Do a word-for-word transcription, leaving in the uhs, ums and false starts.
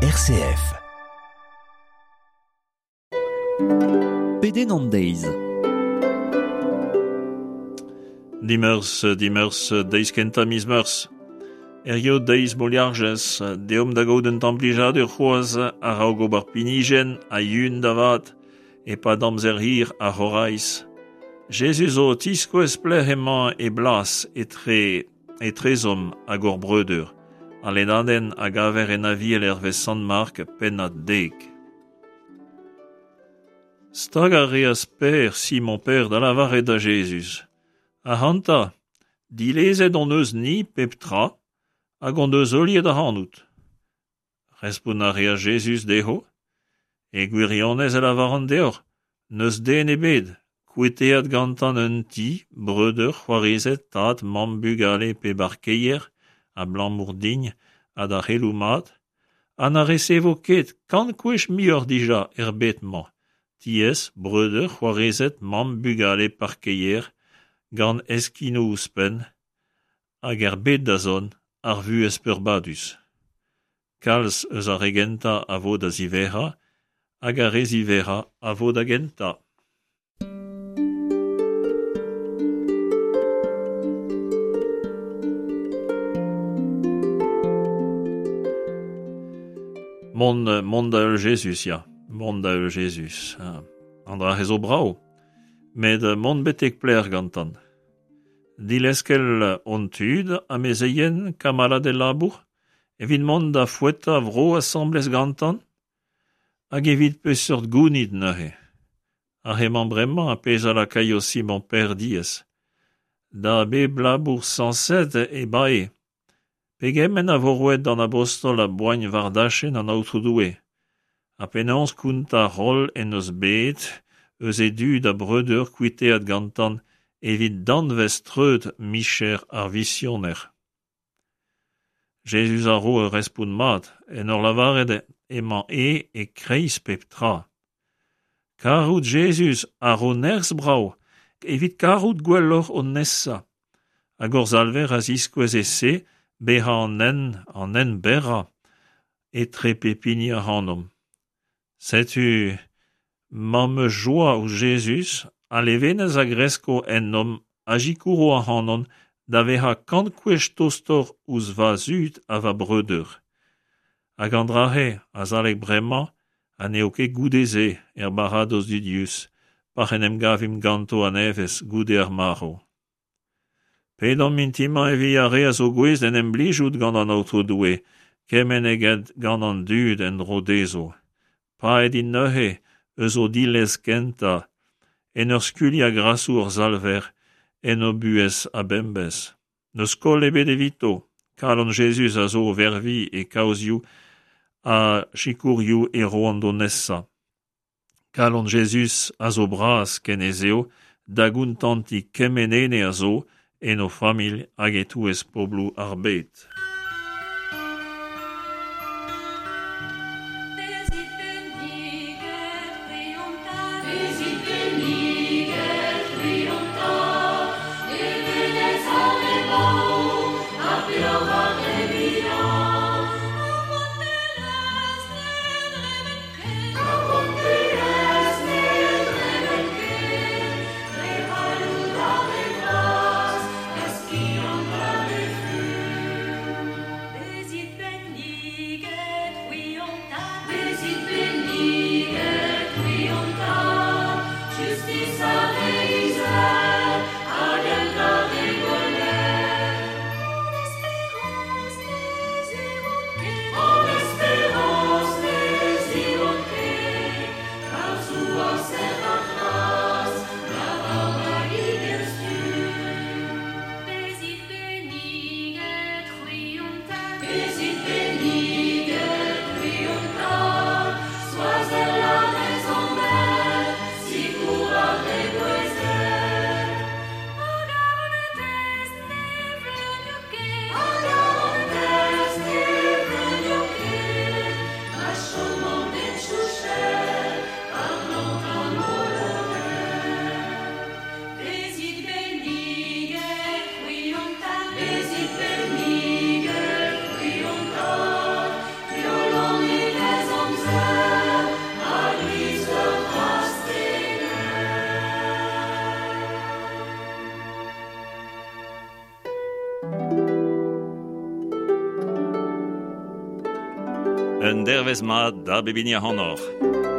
R C F. Pedenn an deiz. Dimeurzh, dimeurzh, deiz kentañ miz Meurzh. Hirio deiz Moliarjez, deomp da gaout un tamm plijadur c'hoazh a-raok ober pinijenn ha yun da vat, e-pad amzer hir ar c'horaiz. Jezuz zo o tiskouez pelec'h emañ e blas etre etrezomp hag hor breudeur. Al lennadenn a gaver en Aviel hervez Sant Mark, pennad dek. Stag a reas Pêr, Simon Pêr, da lavaret da Jezuz. Ac'hanta, dilezet hon eus ni pep tra hag hon deus heuliet ac'hanout. Respont a reas Jezuz dezho. E gwirionez e lavaran deoc'h, n'eus den ebet, kuitaet gantañ un ti, breudeur, c'hoarezed, tad, mamm, bugale pe barkeier, abalamour din ha d'ar c'heloù mat, ha na resevo ket kant gwech muioc'h dija er bed-mañ, tiez, breudeur, c'hoarezed, mamm, bugale, parkeier, gant heskinoù ouzhpenn, hag er bed da zont, ar vuhez peurbadus. Kalz eus ar re gentañ a vo da ziwezhañ, hag ar re ziwezhañ a vo da gentañ. Mont, mont da heul Jezuz, ya. Mont da heul Jezuz. An dra zo brav, met mont betek pelec'h gantañ. Dileskel hon tud, amezeien, kamaladed labour, evit mont da foetañ vro asambles gantañ, hag evit peseurt gounid neuze. Ar emañ bremañ ar pezh a lakaio Simon Pêr diaes. Da bep labour sañset e bae. Pegement a vo roet d'an abostol a boagn war dachenn an Aotrou Doue. Ha penaos kontañ roll en deus bet eus e dud ha breudeur kuitaet gantañ evit danvez treut micher ar visioner. Jezuz a ro ur respont mat en ur lavaret emañ e e-kreiz pep tra. Karout Jezuz a ro nerzh brav evit karout gwelloc'h hon nesañ. Hag hor Salver a ziskouez e-se bezañ an hent, an hent berrañ etre pep hini ac'hanomp. Setu ma'm eus joa ouzh Jezuz, al levenez a gresko ennomp a sikouro ac'hanon da vezañ kant gwech tostoc'h ouzh va zud ha va breudeur. Hag an dra-se azalek bremañ ha n'eo ket goude-se er baradoz dudius, pa'c'h en em gavimp ganto a-nevez goude ar marv. Pedomp mintin-mañ evit ar re a zo gouest d'en em blijout gant an Aotrou Doue, kement eget gant an dud en-dro dezho. Paeet int neuze eus o dilez kentañ, en ur skuilhañ grasoù hor Salver en o buhez a-bemdez. N'eus koll ebet evito, kalon Jezuz a zo o verviñ e kaozioù ha sikourioù e roont d'o nesañ. Kalon Jezuz a zo bras ken ez eo da gontantiñ kement ene a zo en o familh hag e-touez pobloù ar bed. Bezit benniget, c'hwi hon tad, bezit benniget, c'hwi hon tad, levenez ar re baour, ha peoc'h ar re vihan. Ar rouantelezh ne dremen ket, ar rouantelezh ne dremen ket, dre c'halloud ar re vras, ha skiant ar re fur. Un dervezh mat da bep hini ac'hanoc'h.